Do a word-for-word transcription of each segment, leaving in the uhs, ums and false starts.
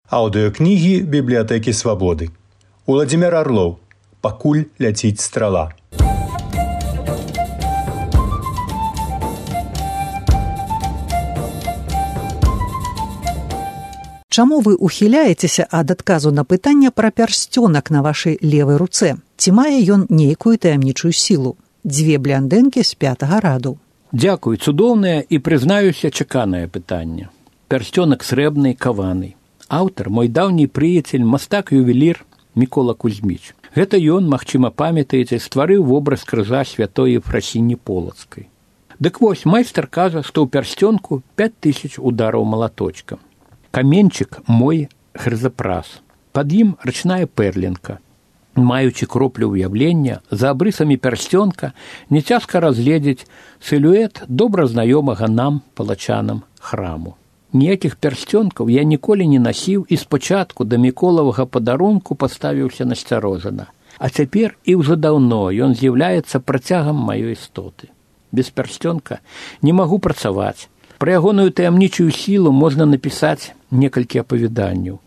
Аўдыёкнігі бібліятэкі свабоды. Уладзімір Арлоў. Пакуль ляціць страла. Чаму вы ухіляецеся ад адказу на пытанне пра пярсцёнак на вашай левай руцэ? Ці мае ён нейкую таямнічую сілу? Дзве бляндэнкі з пятага раду. Дзякуй, цудоўнае і, прызнаюся, чаканае пытанне. Пярсцёнак срэбны, каваны. Аўтар, мой даўні прыяцель, мастак-ювелір Мікола Кузьміч. Гэта ён, магчыма, памятаеце, стварыў вобраз крыжа святой Ефрасіні Полацкай. Дык вось, майстар кажа, што ў пярсцёнку пяць тысяч удараў малаточкам. Каменчык мой хрызапрас. Пад ім рачная пэрлінка. Маючы кроплю ўяўлення, за абрысамі пярсцёнка няцяжка разгледзець сілуэт добра знаёмага нам, палачанам, храму. Ніякіх пярсцёнкаў я ніколі не насіў і спачатку да міколавага падарунку паставіўся насцярожана. А цяпер і ўжо даўно ён з'яўляецца працягам маёй істоты. Без пярсцёнка не магу працаваць. Пра ягоную таямнічую сілу можна напісаць некалькі апавяданняў.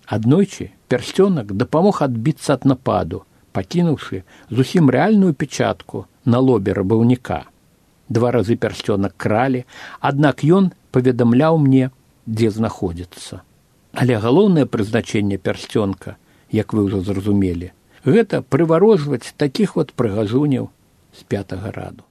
Аднойчы пярсцёнак дапамог адбіцца ад нападу, пакінуўшы зусім рэальную печатку на лобе рабаўніка. Два разы пярсцёнак кралі, аднак ён паведамляў мне, дзе знаходзіцца. Але галоўнае прызначэнне пярсцёнка, як вы ўжо зразумелі, гэта прыварожваць такіх вот прыгажуняў з пятага раду.